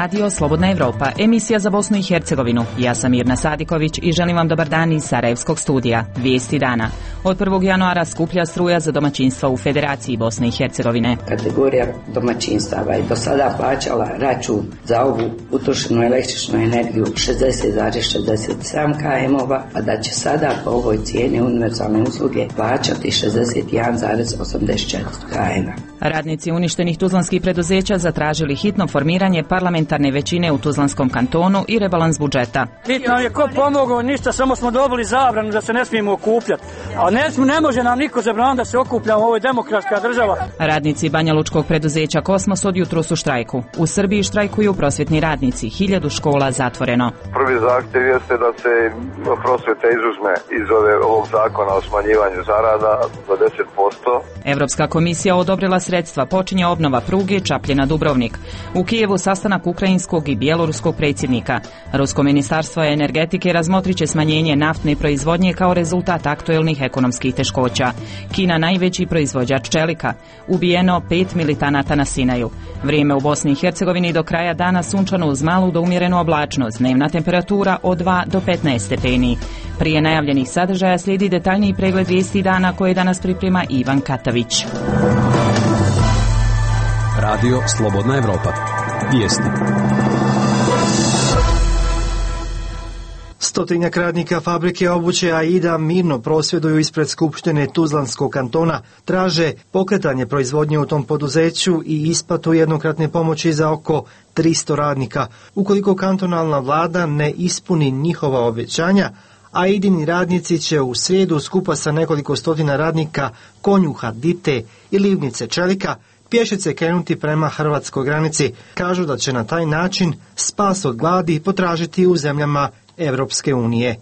Radio Slobodna Evropa, emisija za Bosnu i Hercegovinu. Ja sam Mirna Sadiković i želim vam dobar dan iz Sarajevskog studija. Vijesti dana. Od 1. januara skuplja struja za domaćinstva u Federaciji Bosne i Hercegovine. Kategorija domaćinstava je do sada plaćala račun za ovu utrošenu električnu energiju 60,67 km-ova, a da će sada po ovoj cijeni univerzalne usluge plaćati 61,84 km. Radnici uništenih tuzlanskih preduzeća zatražili hitno formiranje parlamentarne većine u Tuzlanskom kantonu i rebalans budžeta. Hitno nam je ko pomogao, ništa, samo smo dobili zabranu da se ne smijemo okupljati. A ne može nam niko zabraniti da se okupljamo, ovo je demokratska država. Radnici banjalučkog preduzeća Kosmos od jutros u štrajku. U Srbiji štrajkuju prosvjetni radnici, 1000 škola zatvoreno. Prvi zahtjev jeste da se prosvjeta izuzme iz ovog zakona o smanjivanju zarada za 10%. Evropska komisija odobrila sredstva, počinje obnova pruge Čapljina-Dubrovnik. U Kijevu sastanak ukrajinskog i bjeloruskog predsjednika. Rusko ministarstvo energetike razmotrit će smanjenje naftne proizvodnje kao rezultat aktuelnih ekonomskih teškoća. Kina najveći proizvođač čelika. Ubijeno 5 militanata na Sinaju. Vrijeme u Bosni i Hercegovini do kraja dana sunčano uz malu do umjerenu oblačnost. Dnevna temperatura od 2 do 15 stepeni. Prije najavljenih sadržaja slijedi detaljniji pregled vijesti dana koje danas priprema Ivan Katavić. Radio Slobodna Evropa. Vijesti. Stotinjak radnika fabrike obuće Aida mirno prosvjeduju ispred Skupštine Tuzlanskog kantona, traže pokretanje proizvodnje u tom poduzeću i isplatu jednokratne pomoći za oko 300 radnika. Ukoliko kantonalna vlada ne ispuni njihova obećanja, Aidini radnici će u srijedu skupa sa nekoliko stotina radnika konjuha, dite i livnice čelika pješice krenuti prema hrvatskoj granici. Kažu da će na taj način spas od gladi potražiti u zemljama Evropske unije.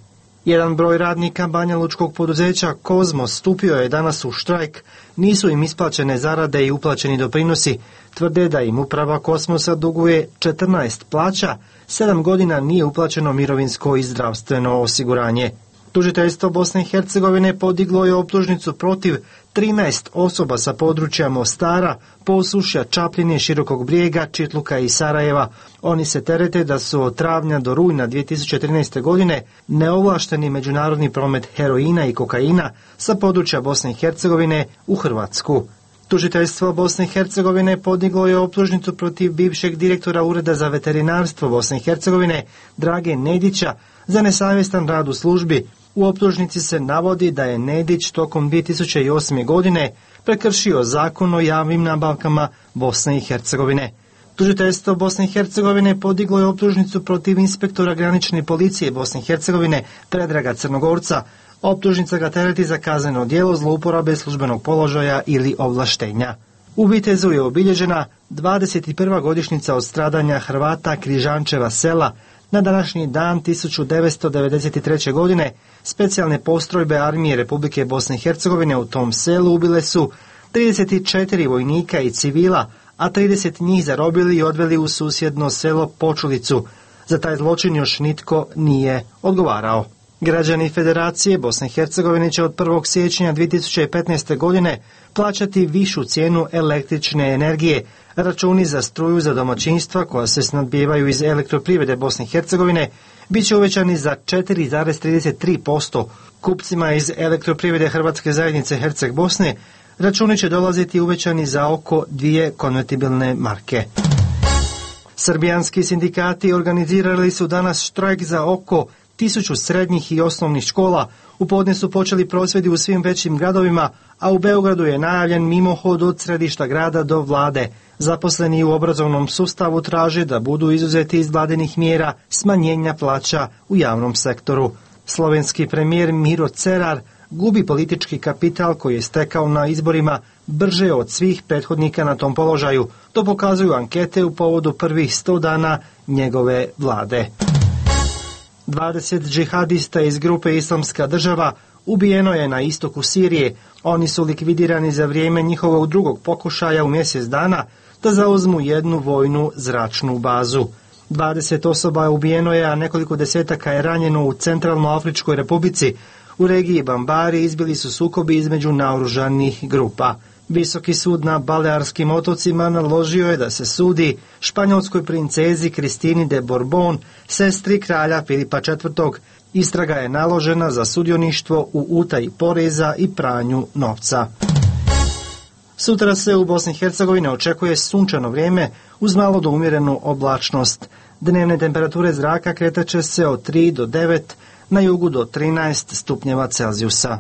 Jedan broj radnika banjalučkog poduzeća Kozmos stupio je danas u štrajk. Nisu im isplaćene zarade i uplaćeni doprinosi. Tvrde da im uprava Kosmosa duguje 14 plaća, 7 godina nije uplaćeno mirovinsko i zdravstveno osiguranje. Tužiteljstvo Bosne i Hercegovine podiglo je optužnicu protiv 13 osoba sa područja Mostara, Posušja, Čapljine, Širokog Brijega, Čitluka i Sarajeva. Oni se terete da su od travnja do rujna 2013. godine neovlašteni međunarodni promet heroina i kokaina sa područja Bosne i Hercegovine u Hrvatsku. Tužiteljstvo Bosne i Hercegovine podiglo je optužnicu protiv bivšeg direktora Ureda za veterinarstvo Bosne i Hercegovine Drage Nedića za nesavjestan rad u službi. U optužnici se navodi da je Nedić tokom 2008. godine prekršio zakon o javnim nabavkama Bosne i Hercegovine. Tužiteljstvo Bosne i Hercegovine podiglo je optužnicu protiv inspektora granične policije Bosne i Hercegovine Predraga Crnogorca. Optužnica ga tereti za kazneno djelo zlouporabe službenog položaja ili ovlaštenja. U Vitezu je obilježena 21. godišnjica od stradanja Hrvata Križančeva sela. Na današnji dan 1993. godine specijalne postrojbe armije Republike Bosne i Hercegovine u tom selu ubile su 34 vojnika i civila, a 30 njih zarobili i odveli u susjedno selo Počulicu. Za taj zločin još nitko nije odgovarao. Građani Federacije Bosne i Hercegovine će od 1. siječnja 2015. godine plaćati višu cijenu električne energije. Računi za struju za domaćinstva koja se snabdijevaju iz elektroprivrede Bosne i Hercegovine bit će uvećani za 4,33%. Kupcima iz elektroprivrede Hrvatske zajednice Herceg Bosne računi će dolaziti uvećani za oko 2 konvertibilne marke. Srbijanski sindikati organizirali su danas štrajk za oko 1000 srednjih i osnovnih škola. U podne su počeli prosvjedi u svim većim gradovima, a u Beogradu je najavljen mimohod od središta grada do vlade. Zaposleni u obrazovnom sustavu traže da budu izuzeti iz vladinih mjera smanjenja plaća u javnom sektoru. Slovenski premijer Miro Cerar gubi politički kapital koji je stekao na izborima brže od svih prethodnika na tom položaju. To pokazuju ankete u povodu prvih 100 dana njegove vlade. 20 džihadista iz grupe Islamska država ubijeno je na istoku Sirije. Oni su likvidirani za vrijeme njihovog drugog pokušaja u mjesec dana da zauzmu jednu vojnu zračnu bazu. 20 osoba ubijeno je, a nekoliko desetaka je ranjeno u Centralnoafričkoj Republici. U regiji Bambari izbili su sukobi između naoružanih grupa. Visoki sud na Balearskim otocima naložio je da se sudi španjolskoj princezi Kristini de Borbon, sestri kralja Filipa IV. Istraga je naložena za sudioništvo u utaji poreza i pranju novca. Sutra se u Bosni i Hercegovini očekuje sunčano vrijeme uz malo do umjerenu oblačnost. Dnevne temperature zraka kretaće se od 3 do 9, na jugu do 13 stupnjeva Celzijusa.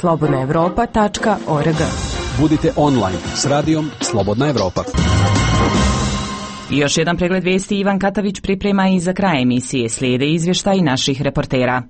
slobodnaevropa.org. Budite online s radijom Slobodna Evropa. I još jedan pregled vijesti Ivan Katavić priprema i za kraj emisije slijede izvještaj naših reportera.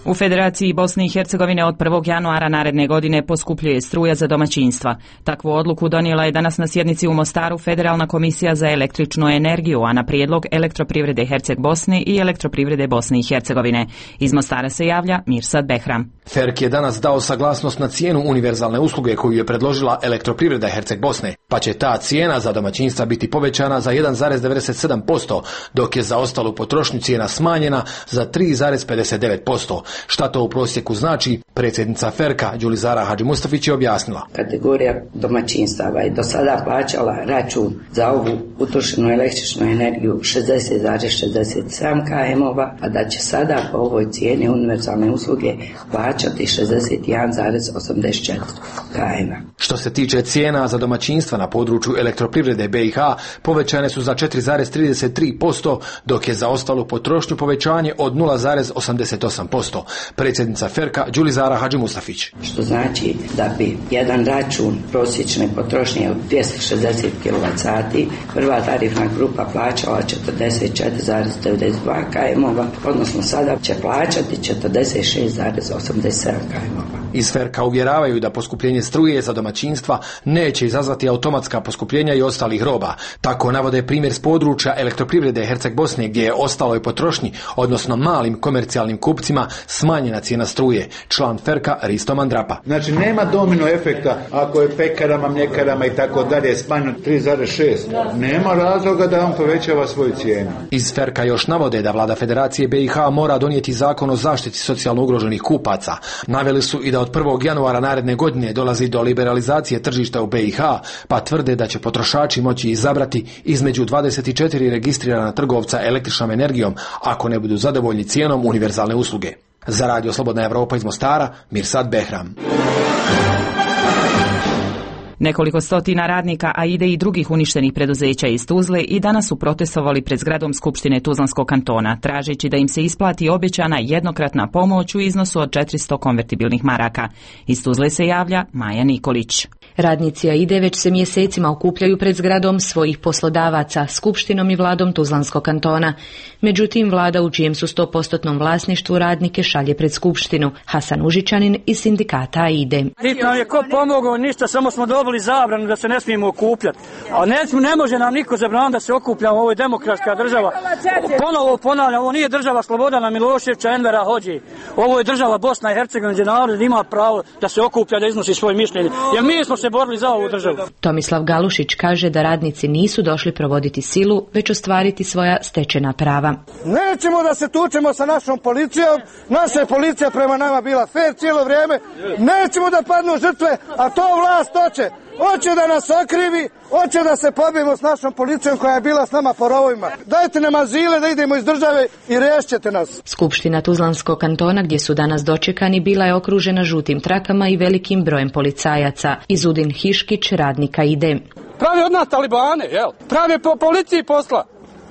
U Federaciji Bosne i Hercegovine od 1. januara naredne godine poskupljuje struja za domaćinstva. Takvu odluku donijela je danas na sjednici u Mostaru Federalna komisija za električnu energiju, a na prijedlog Elektroprivrede Herceg Bosne i Elektroprivrede Bosne i Hercegovine. Iz Mostara se javlja Mirsad Behram. FERK je danas dao saglasnost na cijenu univerzalne usluge koju je predložila Elektroprivreda Herceg Bosne, pa će ta cijena za domaćinstva biti povećana za 1,97%, dok je za ostalu potrošnju cijena smanjena za 3,59%. Šta to u prosjeku znači, predsjednica FERK-a Đulizara Hadžimustafić je objasnila. Kategorija domaćinstava je do sada plaćala račun za ovu utrošenu električnu energiju 60,67 km-ova, a da će sada po ovoj cijeni univerzalne usluge plaćati 61,84 km. Što se tiče cijena za domaćinstva na području Elektroprivrede BiH, povećane su za 4,33%, dok je za ostalu potrošnju povećanje od 0,88%. Predsjednica FERK-a Đulizara Hadžimustafić. Što znači da bi jedan račun prosječne potrošnje od 260 kWh prva tarifna grupa plaćala 44,92 km-ova, odnosno sada će plaćati 46,87 km-ova. Iz FERK-a uvjeravaju da poskupljenje struje za domaćinstva neće izazvati automatska poskupljenja i ostalih roba. Tako navode primjer s područja Elektroprivrede Herceg Bosne gdje je ostaloj potrošnji, odnosno malim komercijalnim kupcima, smanjena cijena struje. Član FERK-a Risto Mandrapa. Znači nema domino efekta ako je pekarama, mljekarama i tako dalje smanjeno 3,6. Nema razloga da on povećava svoju cijenu. Iz FERK-a još navode da vlada Federacije BiH mora donijeti zakon o zaštiti socijalno ugroženih kupaca. Naveli su i da od 1. januara naredne godine dolazi do liberalizacije tržišta u BiH, pa tvrde da će potrošači moći izabrati između 24 registrirana trgovca električnom energijom ako ne budu zadovoljni cijenom univerzalne usluge. Za radio Slobodna Evropa iz Mostara, Mirsad Behram. Nekoliko stotina radnika AIDE i drugih uništenih preduzeća iz Tuzle i danas su protestovali pred zgradom Skupštine Tuzlanskog kantona, tražeći da im se isplati obećana jednokratna pomoć u iznosu od 400 konvertibilnih maraka. Iz Tuzle se javlja Maja Nikolić. Radnici AIDE već se mjesecima okupljaju pred zgradom svojih poslodavaca, Skupštinom i vladom Tuzlanskog kantona. Međutim, vlada u čijem su 100% vlasništvu radnike šalje pred Skupštinu. Hasan Užičanin iz sindikata AIDE. Niti nam je ko pomogao, ništa, samo smo dobili zabranu da se ne smijemo okupljati. A ne može nam niko zabraniti da se okupljamo, ovo je demokratska država. Ponovo ponavljam, ovo nije država Slobodana Miloševića, Envera Hodži. Ovo je država Bosna i Hercegovina gdje narod ima pravo da se okuplja, da iznosi svoje mišljenje. Jer mi smo se borili za ovu državu. Tomislav Galušić kaže da radnici nisu došli provoditi silu, već ostvariti svoja stečena prava. Nećemo da se tučemo sa našom policijom, naša je policija prema nama bila fair cijelo vrijeme, nećemo da padnu žrtve, a to vlast hoće. Hoće da nas okrivi, hoće da se pobijemo s našom policijom koja je bila s nama po rovovima. Dajte nam azile da idemo iz države i riješćete nas. Skupština Tuzlanskog kantona gdje su danas dočekani bila je okružena žutim trakama i velikim brojem policajaca. Izudin Hiškić, radnika AIDE. Pravi od nas talibane, jel? Pravi po policiji posla.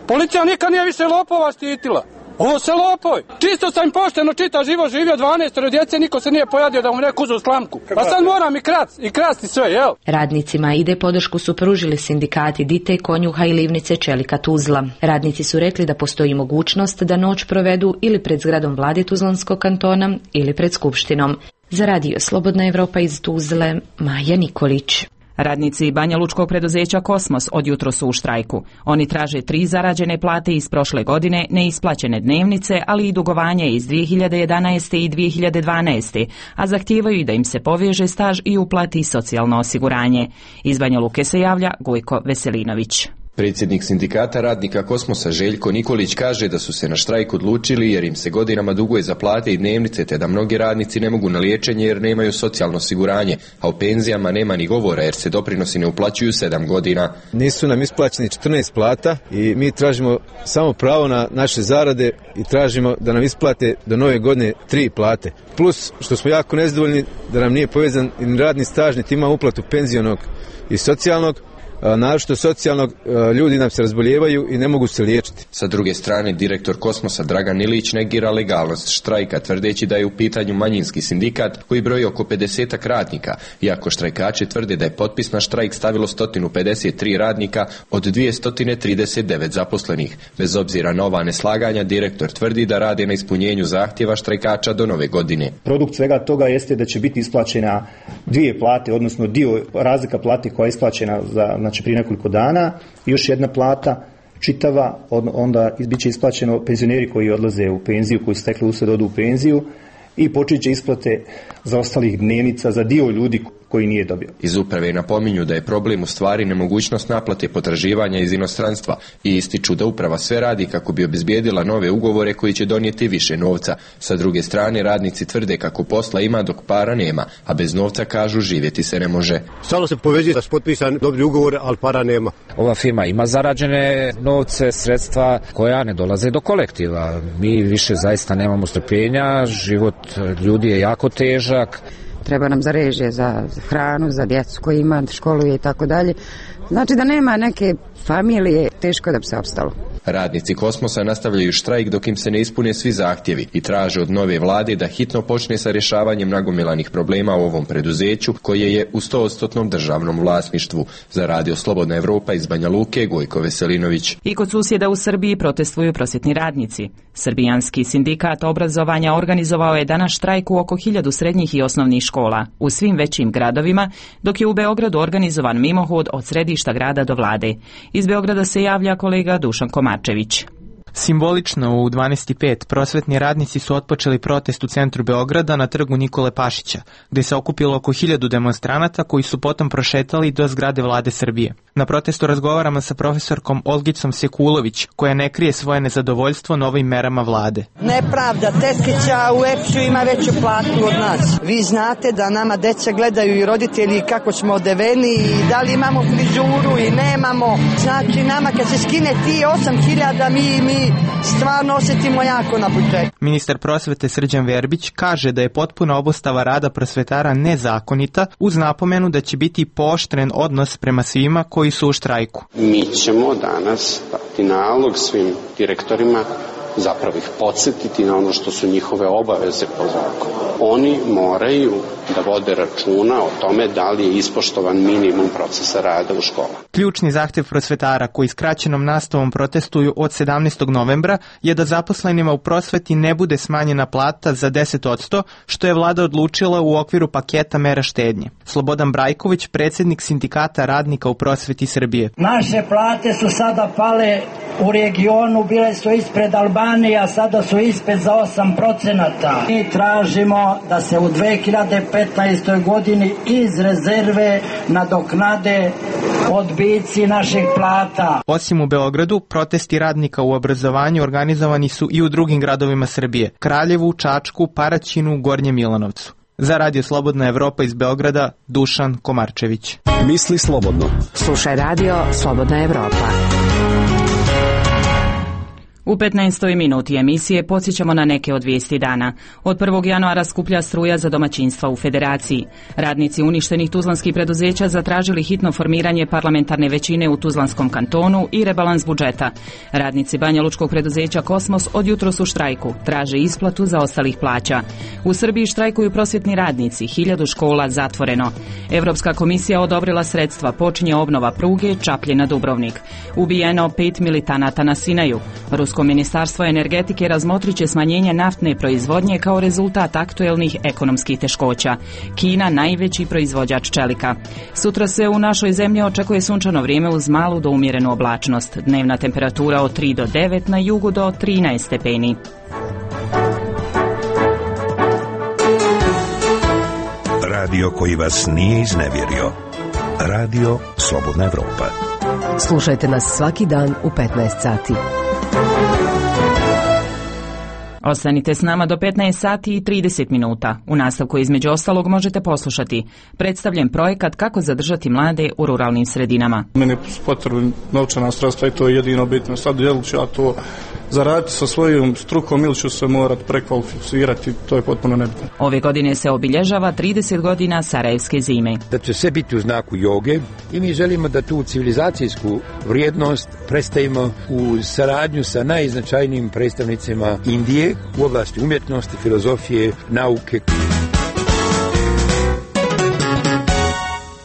Policija nikad nije više lopova štitila. Ovo se lopoj. Čisto sam pošteno čita život živio 12 djece, niko se nije pojadio da mu neko uzu slamku. Pa sad moram i krasti sve, jel? Radnicima AIDE podršku su pružili sindikati Dite, Konjuha i Livnice Čelika Tuzla. Radnici su rekli da postoji mogućnost da noć provedu ili pred zgradom vlade Tuzlanskog kantona ili pred Skupštinom. Za radio Slobodna Evropa iz Tuzle, Maja Nikolić. Radnici Banja Lučkog preduzeća Kosmos od jutro su u štrajku. Oni traže 3 zarađene plate iz prošle godine, neisplaćene dnevnice, ali i dugovanje iz 2011. i 2012. a zahtijevaju da im se poveže staž i uplati socijalno osiguranje. Iz Banja Luke se javlja Gojko Veselinović. Predsjednik sindikata radnika Kosmosa Željko Nikolić kaže da su se na štrajk odlučili jer im se godinama duguje za plate i dnevnice, te da mnogi radnici ne mogu na liječenje jer nemaju socijalno osiguranje, a o penzijama nema ni govora jer se doprinosi ne uplaćuju 7 godina. Nisu nam isplaćeni 14 plata i mi tražimo samo pravo na naše zarade i tražimo da nam isplate do nove godine 3 plate. Plus što smo jako nezadovoljni da nam nije povezan ni radni staž, niti ima uplatu penzionog i socijalnog. Naročito socijalnog, ljudi nam se razbolijevaju i ne mogu se liječiti. Sa druge strane, direktor Kosmosa Dragan Ilić negira legalnost štrajka, tvrdeći da je u pitanju manjinski sindikat koji broji oko 50 radnika, iako štrajkači tvrde da je potpis na štrajk stavilo 153 radnika od 239 zaposlenih. Bez obzira na ova neslaganja, direktor tvrdi da rade na ispunjenju zahtjeva štrajkača do nove godine. Produkt svega toga jeste da će biti isplaćena 2 plate, odnosno dio razlika plate koja je isplaćena znači prije nekoliko dana, još jedna plata čitava, onda bit će isplaćeno penzioneri koji odlaze u penziju, koji su stekli usred odu u penziju i počet će isplate za ostalih dnevnica za dio ljudi koji nije dobio. Iz uprave napominju da je problem u stvari nemogućnost naplate potraživanja iz inostranstva i ističu da uprava sve radi kako bi obezbijedila nove ugovore koji će donijeti više novca. Sa druge strane, radnici tvrde kako posla ima dok para nema, a bez novca, kažu, živjeti se ne može. Stalno se povezuje da su potpisan dobri ugovor, ali para nema. Ova firma ima zarađene novce, sredstva koja ne dolaze do kolektiva. Mi više zaista nemamo strpljenja, život ljudi je jako težak. Treba nam za režije, za hranu, za djecu koji ima, školuje i tako dalje. Znači da nema neke familije, teško da bi se opstalo. Radnici Kosmosa nastavljaju štrajk dok im se ne ispune svi zahtjevi i traže od nove vlade da hitno počne sa rješavanjem nagomilanih problema u ovom preduzeću koje je u 100% državnom vlasništvu. Za Radio Slobodna Evropa iz Banja Luke, Gojko Veselinović. I kod susjeda u Srbiji protestuju prosvjetni radnici. Srbijanski sindikat obrazovanja organizovao je danas štrajk u oko 1000 srednjih i osnovnih škola u svim većim gradovima, dok je u Beogradu organizovan mimohod od središta grada do vlade. Iz Beograda se javlja kolega Dušan Komarčević. Simbolično u 12:05 prosvetni radnici su otpočeli protest u centru Beograda na trgu Nikole Pašića, gdje se okupilo oko 1000 demonstranata koji su potom prošetali do zgrade vlade Srbije. Na protestu razgovaramo sa profesorkom Olgicom Sekulović, koja ne krije svoje nezadovoljstvo novim merama vlade. Nepravda, tetkića u EPS-u ima veću platu od nas. Vi znate da nama deca gledaju i roditelji kako smo odeveni i da li imamo frizuru i nemamo. Znači nama kad se skine ti 8000 mi stvarno osjetimo jako na početku. Ministar prosvete Srđan Verbić kaže da je potpuna obustava rada prosvetara nezakonita, uz napomenu da će biti pooštren odnos prema svima koji su u štrajku. Mi ćemo danas dati nalog svim direktorima, zapravo ih podsjetiti na ono što su njihove obaveze po zakonu. Oni moraju da vode računa o tome da li je ispoštovan minimum procesa rada u školama. Ključni zahtjev prosvetara koji skraćenom nastavom protestuju od 17. novembra je da zaposlenima u prosveti ne bude smanjena plata za 10%, što je vlada odlučila u okviru paketa mera štednje. Slobodan Brajković, predsjednik sindikata radnika u prosveti Srbije. Naše plate su sada pale u regionu, bile su ispred Albanije, a sada su ispred za 8%. Mi tražimo da se u 2015. godini iz rezerve nadoknade odbici naših plata. Osim u Beogradu, protesti radnika u obrazovanju organizovani su i u drugim gradovima Srbije: Kraljevu, Čačku, Paraćinu, Gornjem Milanovcu. Za Radio Slobodna Evropa iz Beograda, Dušan Komarčević. Misli slobodno. Slušaj Radio Slobodna Evropa. U 15. minuti emisije podsjećamo na neke od vijesti dana. Od 1. januara skuplja struja za domaćinstva u Federaciji. Radnici uništenih tuzlanskih preduzeća zatražili hitno formiranje parlamentarne većine u Tuzlanskom kantonu i rebalans budžeta. Radnici banjalučkog preduzeća Kosmos od jutros u štrajku, traže isplatu zaostalih plaća. U Srbiji štrajkuju prosvjetni radnici, 1000 škola zatvoreno. Evropska komisija odobrila sredstva, počinje obnova pruge Čapljina-Dubrovnik. Ubijeno 5 militanata na Sinaju. Rusko ministarstvo energetike razmotrit će smanjenje naftne proizvodnje kao rezultat aktuelnih ekonomskih teškoća. Kina najveći proizvođač čelika. Sutra se u našoj zemlji očekuje sunčano vrijeme uz malu do umjerenu oblačnost. Dnevna temperatura od 3 do 9, na jugu do 13 stepeni. Radio koji vas nije iznevjerio. Radio Slobodna Evropa. Slušajte nas svaki dan u 15 sati. Ostanite s nama do 15 sati i 30 minuta. U nastavku između ostalog možete poslušati predstavljen projekat kako zadržati mlade u ruralnim sredinama. Meni je potrebno novčana sredstva i to je jedino bitno. Sad jel ću ja to zaraditi sa svojom strukom ili ću se morati prekvalificirati, to je potpuno nebitno. Ove godine se obilježava 30 godina Sarajevske zime. Da će sve biti u znaku joge i mi želimo da tu civilizacijsku vrijednost predstavimo u saradnju sa najznačajnijim predstavnicima Indije u oblasti umjetnosti, filozofije, nauke.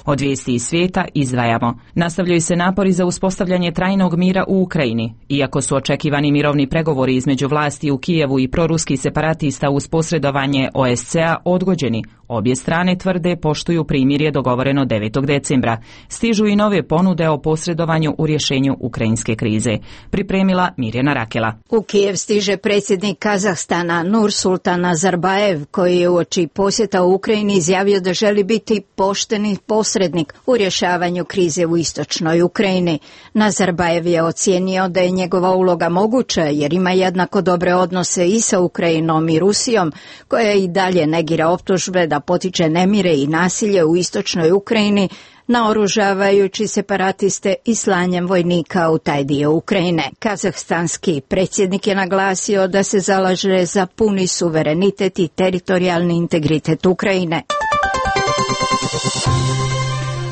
Od vijesti iz svijeta izdvajamo. Nastavljaju se napori za uspostavljanje trajnog mira u Ukrajini. Iako su očekivani mirovni pregovori između vlasti u Kijevu i proruskih separatista uz posredovanje OSCE-a odgođeni, obje strane tvrde poštuju primirje dogovoreno 9. decembra. Stižu i nove ponude o posredovanju u rješenju ukrajinske krize. Pripremila Mirjana Rakela. U Kijev stiže predsjednik Kazahstana Nursultan Nazarbajev, koji je uoči posjeta u Ukrajini izjavio da želi biti pošteni posrednik u rješavanju krize u istočnoj Ukrajini. Nazarbajev je ocijenio da je njegova uloga moguća jer ima jednako dobre odnose i sa Ukrajinom i Rusijom, koja i dalje negira optužbe da potiče nemire i nasilje u istočnoj Ukrajini, naoružavajući separatiste i slanjem vojnika u taj dio Ukrajine. Kazahstanski predsjednik je naglasio da se zalaže za puni suverenitet i teritorijalni integritet Ukrajine.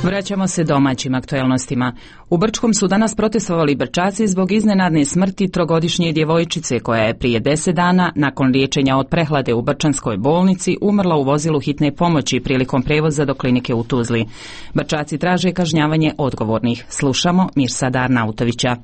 Vraćamo se domaćim aktuelnostima. U Brčkom su danas protestovali Brčaci zbog iznenadne smrti trogodišnje djevojčice koja je prije 10 dana nakon liječenja od prehlade u Brčanskoj bolnici umrla u vozilu hitne pomoći prilikom prevoza do klinike u Tuzli. Brčaci traže kažnjavanje odgovornih. Slušamo Mirsada Arnautovića.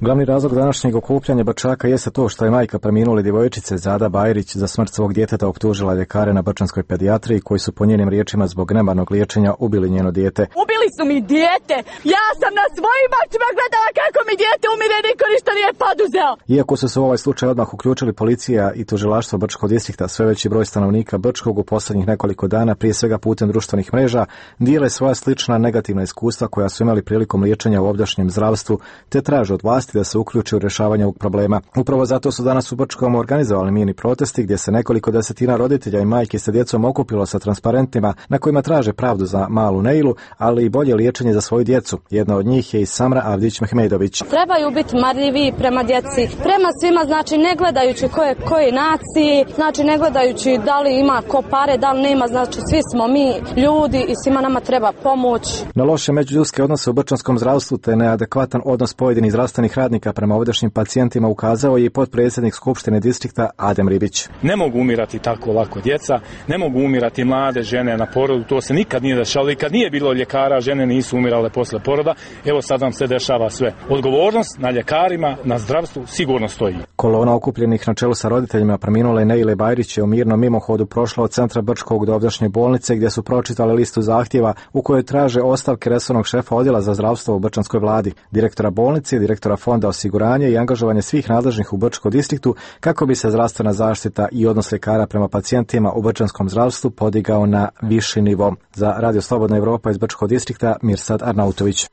Glavni razlog današnjeg okupljanja Brčaka jeste to što je majka preminule djevojčice Zada Bajrić za smrt svog djeteta optužila ljekare na brčanskoj pedijatriji koji su po njenim riječima zbog nemarnog liječenja ubili njeno dijete. Ubili su mi dijete! Ja sam na svojim očima gledala kako mi dijete umire, niko ništa nije poduzeo! Iako su se u ovaj slučaj odmah uključili policija i tužilaštvo Brčkog distrikta, sve veći broj stanovnika Brčkog u posljednjih nekoliko dana, prije svega putem društvenih mreža, dijele svoja slična negativna iskustva koja su imali prilikom liječenja u ovdašnjem zdravstvu, te traže od vlasti da se uključi u rješavanje ovog problema. Upravo zato su danas u Brčkom organizovali mirni protesti gdje se nekoliko desetina roditelja i majki sa djecom okupilo sa transparentima na kojima traže pravdu za malu Neilu, ali i bolje liječenje za svoju djecu. Jedna od njih je i Samra Avdić-Mehmedović. Trebaju biti marljivi prema djeci, prema svima, znači ne gledajući koje naciji, znači ne gledajući da li ima ko pare, da li nema, znači svi smo mi ljudi i svima nama treba pomoć. Na loše međuljudske odnose u brčanskom zdravstvu te neadekvatan odnos pojedinih zdravstvenih radnika prema ovdašnjim pacijentima ukazao je i potpredsjednik Skupštine distrikta Adem Ribić. Ne mogu umirati tako lako djeca, ne mogu umirati mlade žene na porodu, to se nikad nije dešavalo i kad nije bilo ljekara, žene nisu umirale posle poroda, evo sad nam se dešava sve. Odgovornost na ljekarima, na zdravstvu sigurno stoji. Kolona okupljenih na čelu sa roditeljima preminule Neile Bajrić je u mirnom mimohodu prošla od centra Brčkog do ovdašnje bolnice gdje su pročitali listu zahtjeva u kojoj traže ostavke resornog šefa odjela za zdravstvo u brčanskoj vladi, direktora bolnice, direktora fonda osiguranja i angažovanje svih nadležnih u Brčkom distriktu kako bi se zdravstvena zaštita i odnos ljekara prema pacijentima u brčanskom zdravstvu podigao na viši nivo. Za Radio Slobodna Evropa iz Brčkog distrikta Mirsad Arnautović.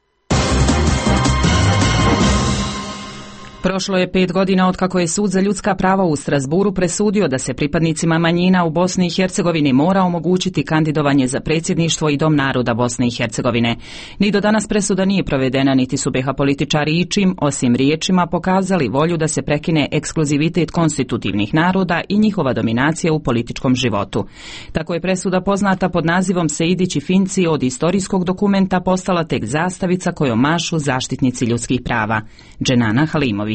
Prošlo je 5 godina od kako je Sud za ljudska prava u Strasburu presudio da se pripadnicima manjina u Bosni i Hercegovini mora omogućiti kandidovanje za predsjedništvo i Dom naroda Bosne i Hercegovine. Ni do danas presuda nije provedena, niti su BiH političari ičim, osim riječima, pokazali volju da se prekine ekskluzivitet konstitutivnih naroda i njihova dominacija u političkom životu. Tako je presuda poznata pod nazivom Sejdić i Finci od istorijskog dokumenta postala tek zastavica kojom mašu zaštitnici ljudskih prava. Dženana Halimović.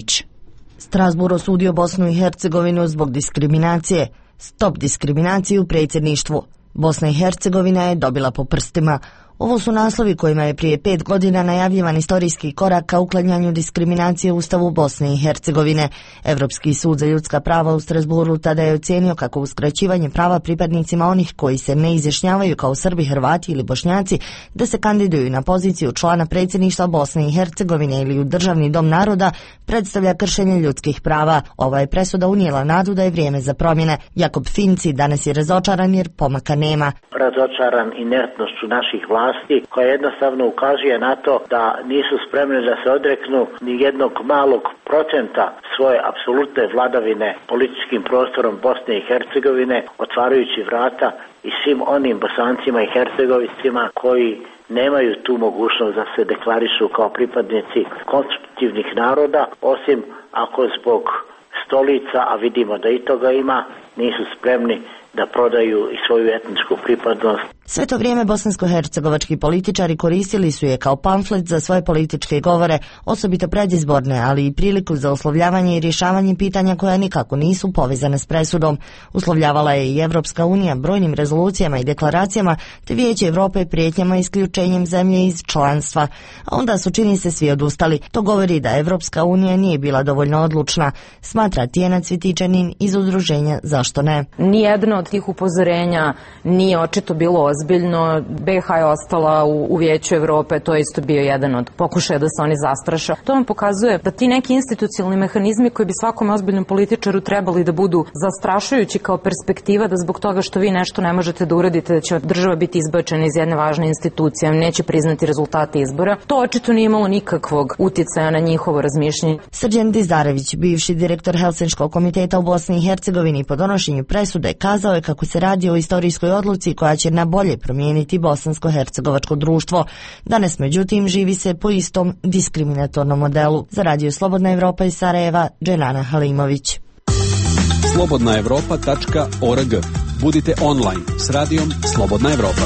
Strasbourg osudio Bosnu i Hercegovinu zbog diskriminacije. Stop diskriminaciji u predsjedništvu. Bosna i Hercegovina je dobila po prstima. Ovo su naslovi kojima je prije 5 godina najavljivan istorijski korak ka uklanjanju diskriminacije u Ustavu Bosne i Hercegovine. Evropski sud za ljudska prava u Strasbourgu tada je ocijenio kako uskraćivanje prava pripadnicima onih koji se ne izjašnjavaju kao Srbi, Hrvati ili Bošnjaci da se kandiduju na poziciju člana predsjedništva Bosne i Hercegovine ili u Državni dom naroda predstavlja kršenje ljudskih prava. Ova je presuda unijela nadu da je vrijeme za promjene. Jakob Finci danas je razočaran jer pomaka nema. Razočaran inertnošću naših vlasti vlasti koja jednostavno ukazuje na to da nisu spremni da se odreknu ni jednog malog procenta svoje apsolutne vladavine političkim prostorom Bosne i Hercegovine, otvarajući vrata i svim onim Bosancima i Hercegovicima koji nemaju tu mogućnost da se deklarišu kao pripadnici konstitutivnih naroda, osim ako zbog stolica, a vidimo da i toga ima, nisu spremni da prodaju i svoju etničku pripadnost. Sve to vrijeme bosansko-hercegovački političari koristili su je kao pamflet za svoje političke govore, osobito predizborne, ali i priliku za oslovljavanje i rješavanje pitanja koja nikako nisu povezane s presudom. Uslovljavala je i Evropska unija brojnim rezolucijama i deklaracijama, te Vijeće Evrope prijetnjama isključenjem zemlje iz članstva. A onda su, čini se, svi odustali. To govori da Evropska unija nije bila dovoljno odlučna, smatra Tijana Cvitičanin iz udruženja Zašto ne? Nijedno od tih upozorenja nije očito bilo ozbiljno. BiH je ostala u Vijeću Evrope, to je isto bio jedan od pokušaja da se oni zastraše. To vam pokazuje da ti neki institucionalni mehanizmi koji bi svakom ozbiljnom političaru trebali da budu zastrašujući kao perspektiva, da zbog toga što vi nešto ne možete da uradite, da će država biti izbačena iz jedne važne institucije, neće priznati rezultate izbora. To očito nije imalo nikakvog utjecaja na njihovo razmišljanje. Srđan Dizdarević, bivši direktor Helsinškog komiteta u Bosni i Hercegovini, po donošenju presude kazao je kako se radi o istorijskoj odluci koja će na bolje promijeniti bosansko-hercegovačko društvo. Danas, međutim, živi se po istom diskriminatornom modelu. Za Radio Slobodna Evropa iz Sarajeva, Dženana Halimović. slobodnaevropa.org. Budite online s radijom Slobodna Evropa.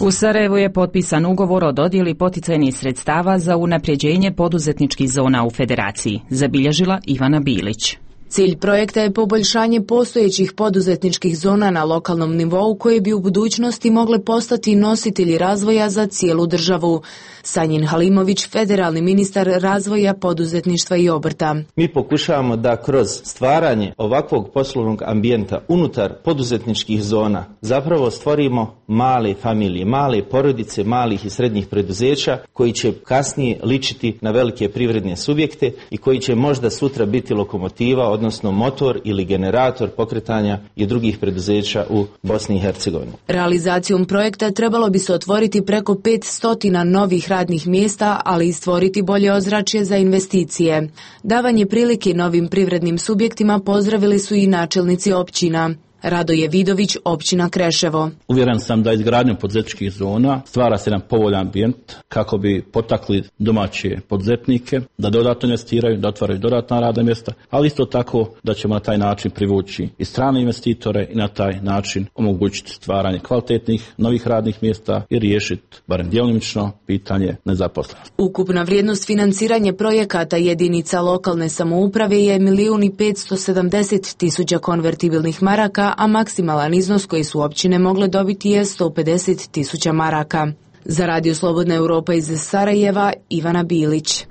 U Sarajevu je potpisan ugovor o dodjeli poticajnih sredstava za unapređenje poduzetničkih zona u Federaciji, zabilježila Ivana Bilić. Cilj projekta je poboljšanje postojećih poduzetničkih zona na lokalnom nivou koje bi u budućnosti mogle postati nositelji razvoja za cijelu državu. Sanjin Halimović, federalni ministar razvoja, poduzetništva i obrta. Mi pokušavamo da kroz stvaranje ovakvog poslovnog ambijenta unutar poduzetničkih zona zapravo stvorimo male familije, male porodice, malih i srednjih preduzeća koji će kasnije ličiti na velike privredne subjekte i koji će možda sutra biti lokomotiva, odnosno motor ili generator pokretanja i drugih preduzeća u Bosni i Hercegovini. Realizacijom projekta trebalo bi se otvoriti preko 500 novih radnih mjesta, ali i stvoriti bolje ozračje za investicije. Davanje prilike novim privrednim subjektima pozdravili su i načelnici općina. Radoje Vidović, općina Kreševo. Uvjeren sam da izgradnjom poduzetničkih zona stvara se jedan povoljan ambijent kako bi potakli domaće poduzetnike da dodatno investiraju, da otvaraju dodatna radna mjesta, ali isto tako da ćemo na taj način privući i strane investitore i na taj način omogućiti stvaranje kvalitetnih novih radnih mjesta i riješiti barem djelomično pitanje nezaposlenosti. Ukupna vrijednost financiranja projekata jedinica lokalne samouprave je 1.570.000 konvertibilnih maraka, a maksimalan iznos koji su općine mogle dobiti je 150.000 maraka. Za Radio Slobodna Europa iz Sarajeva, Ivana Bilić.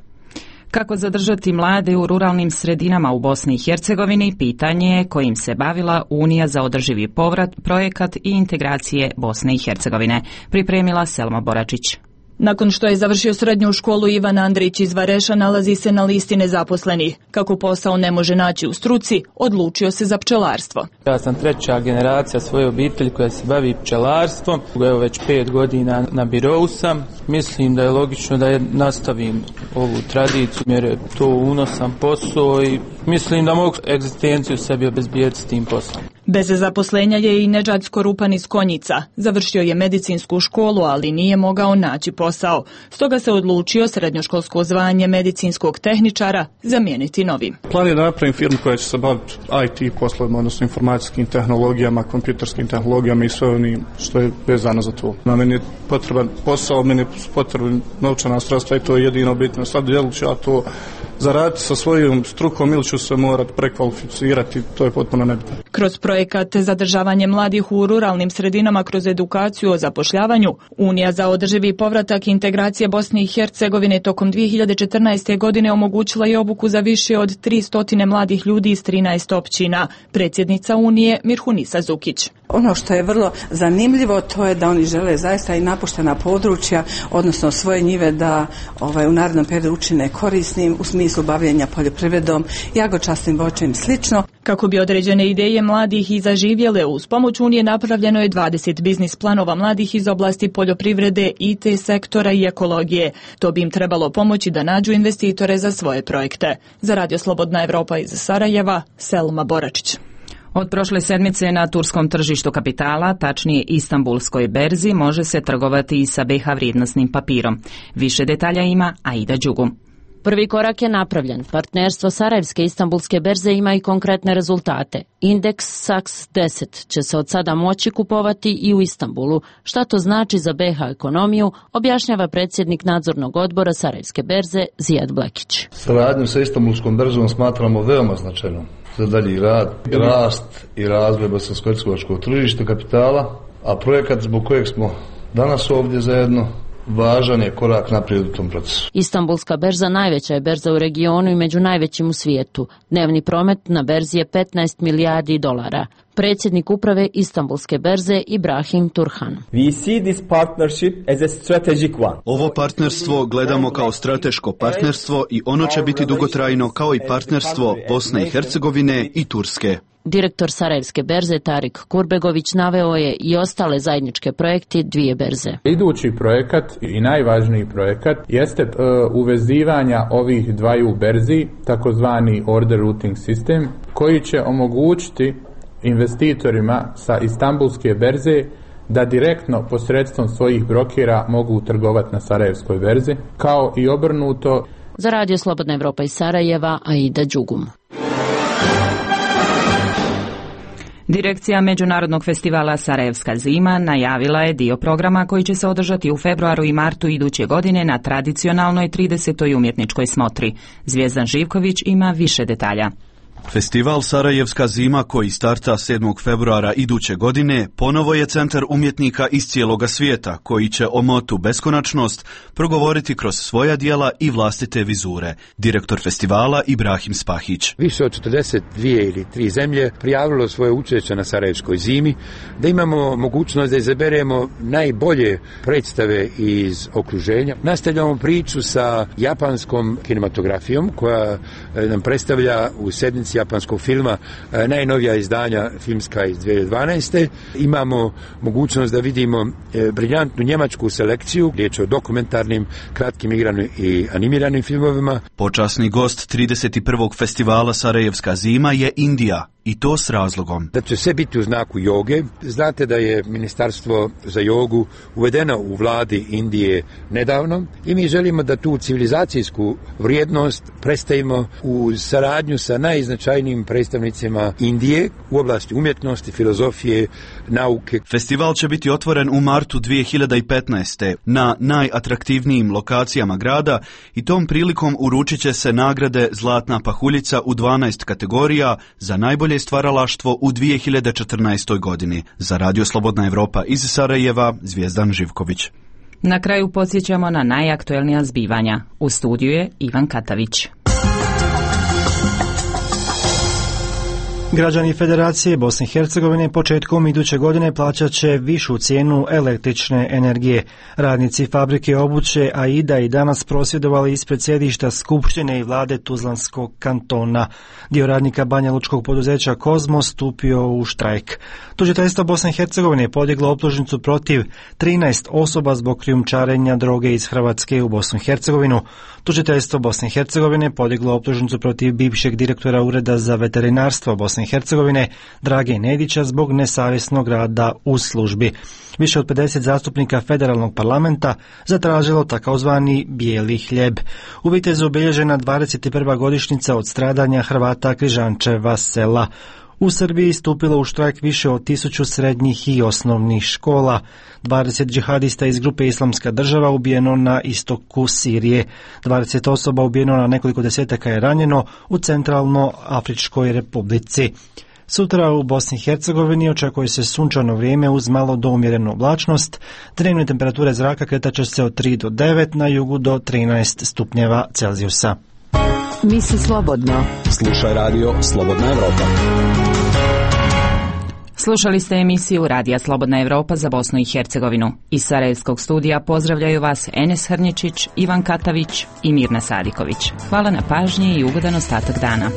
Kako zadržati mlade u ruralnim sredinama u Bosni i Hercegovini, pitanje je kojim se bavila Unija za održivi povrat, projekat i integracije Bosne i Hercegovine. Pripremila Selma Boračić. Nakon što je završio srednju školu, Ivan Andrić iz Vareša nalazi se na listi nezaposlenih. Kako posao ne može naći u struci, odlučio se za pčelarstvo. Ja sam treća generacija svoje obitelji koja se bavi pčelarstvom. Evo već 5 godina na birou sam. Mislim da je logično da nastavim ovu tradiciju jer je to unosan posao i mislim da mogu egzistenciju sebi obezbijeti s tim poslom. Bez zaposlenja je i Nedžad Skorupan iz Konjica. Završio je medicinsku školu, ali nije mogao naći posao. Stoga se odlučio srednjoškolsko zvanje medicinskog tehničara zamijeniti novim. Plan je da napravim firmu koja će se baviti IT poslovima, odnosno informacijskim tehnologijama, kompjuterskim tehnologijama i sve onim što je vezano za to. Na meni je potreban posao, meni je potreban novčana sredstva i to je jedino bitno. Sad jel ću ja to zaraditi sa svojom strukom ili ću se morati prekvalificirati, to je potpuno nebitno. Kroz projekat zadržavanje mladih u ruralnim sredinama kroz edukaciju o zapošljavanju, Unija za održivi povratak i integracije Bosne i Hercegovine tokom 2014. godine omogućila je obuku za više od 300 mladih ljudi iz 13 općina. Predsjednica Unije Mirhunisa Zukić. Ono što je vrlo zanimljivo to je da oni žele zaista i napuštena područja, odnosno svoje njive da u narednom periodu učine korisnim u smislu smislu bavljenja poljoprivredom, jagočasnim voćem i slično. Kako bi određene ideje mladih i zaživjele, uz pomoć Unije napravljeno je 20 biznis planova mladih iz oblasti poljoprivrede, IT sektora i ekologije. To bi im trebalo pomoći da nađu investitore za svoje projekte. Za Radio Slobodna Evropa iz Sarajeva, Selma Boračić. Od prošle sedmice na turskom tržištu kapitala, tačnije Istanbulskoj berzi, može se trgovati i sa BiH vrijednosnim papirom. Više detalja ima Aida Đugum. Prvi korak je napravljen. Partnerstvo Sarajevske Istanbulske berze ima i konkretne rezultate. Indeks SAX 10 će se od sada moći kupovati i u Istanbulu. Šta to znači za BiH ekonomiju, objašnjava predsjednik nadzornog odbora Sarajevske berze Zijad Blekić. Saradnju sa Istanbulskom berzom smatramo veoma značajnom za dalji rad, rast i razvoj bosansko-hercegovačkog tržišta kapitala, a projekat zbog kojeg smo danas ovdje zajedno važan je korak naprijed u tom procesu. Istanbulska berza najveća je berza u regionu i među najvećim u svijetu. Dnevni promet na berzi je 15 milijardi dolara. Predsjednik uprave Istanbulske berze Ibrahim Turhan. Ovo partnerstvo gledamo kao strateško partnerstvo i ono će biti dugotrajno kao i partnerstvo Bosne i Hercegovine i Turske. Direktor Sarajevske berze Tarik Kurbegović naveo je i ostale zajedničke projekti dvije berze. Idući projekat i najvažniji projekat jeste uvezivanja ovih dvaju berzi, takozvani order routing sistem, koji će omogućiti investitorima sa Istanbulske berze da direktno posredstvom svojih brokera mogu trgovati na Sarajevskoj berzi, kao i obrnuto. Za Radio Slobodna Evropa iz Sarajeva, Aida Đugum. Direkcija Međunarodnog festivala Sarajevska zima najavila je dio programa koji će se održati u februaru i martu iduće godine na tradicionalnoj 30. umjetničkoj smotri. Zvijezdan Živković ima više detalja. Festival Sarajevska zima koji starta 7. februara iduće godine ponovo je centar umjetnika iz cijeloga svijeta koji će o motu beskonačnost progovoriti kroz svoja djela i vlastite vizure. Direktor festivala Ibrahim Spahić. Više od 42 ili 3 zemlje prijavilo svoje učešće na Sarajevskoj zimi, da imamo mogućnost da izaberemo najbolje predstave iz okruženja. Nastavljamo priču sa japanskom kinematografijom koja nam predstavlja u sedmici japanskog filma najnovija izdanja filmska iz 2012. Imamo mogućnost da vidimo briljantnu njemačku selekciju, riječ je o dokumentarnim, kratkim igranim i animiranim filmovima. Počasni gost 31. festivala Sarajevska zima je Indija. I to s razlogom. Da će sve biti u znaku joge. Znate da je Ministarstvo za jogu uvedeno u vladi Indije nedavno i mi želimo da tu civilizacijsku vrijednost predstavimo u saradnju sa najznačajnijim predstavnicima Indije u oblasti umjetnosti, filozofije, nauke. Festival će biti otvoren u martu 2015. na najatraktivnijim lokacijama grada i tom prilikom uručit će se nagrade Zlatna pahuljica u 12 kategorija za najbolje stvaralaštvo u 2014. godini. Za Radio Slobodna Evropa iz Sarajeva, Zvijezdan Živković. Na kraju podsjećamo na najaktuelnija zbivanja. U studiju je Ivan Katavić. Građani Federacije Bosne i Hercegovine početkom iduće godine plaćat će višu cijenu električne energije. Radnici fabrike obuće Aida i danas prosvjedovali ispred sjedišta Skupštine i vlade Tuzlanskog kantona. Dio radnika Banja Lučkog poduzeća Kozmo stupio u štrajk. Tužiteljstvo Bosne i Hercegovine je podiglo optužnicu protiv 13 osoba zbog krijumčarenja droge iz Hrvatske u Bosnu i Hercegovinu. Tužiteljstvo Bosne i Hercegovine podiglo optužnicu protiv bivšeg direktora Ureda za veterinarstvo Bosne i Hercegovine Drage Nedića zbog nesavjesnog rada u službi. Više od 50 zastupnika federalnog parlamenta zatražilo takozvani bijeli hljeb. U Vitezu obilježena 21. godišnjica od stradanja Hrvata Križančeva sela. U Srbiji stupilo u štrajk više od 1000 srednjih i osnovnih škola. 20 džihadista iz grupe Islamska država ubijeno na istoku Sirije. 20 osoba ubijeno, na nekoliko desetaka je ranjeno u Centralnoafričkoj republici. Sutra u Bosni i Hercegovini očekuje se sunčano vrijeme uz malo do umjerenu oblačnost. Dnevne temperature zraka kretat će se od 3 do 9, na jugu do 13 stupnjeva Celzijusa. Misli slobodno. Slušaj radio Slobodna Evropa. Slušali ste emisiju Radija Slobodna Evropa za Bosnu i Hercegovinu. Iz Sarajevskog studija pozdravljaju vas Enes Hrnječić, Ivan Katavić i Mirna Sadiković. Hvala na pažnji i ugodan ostatak dana.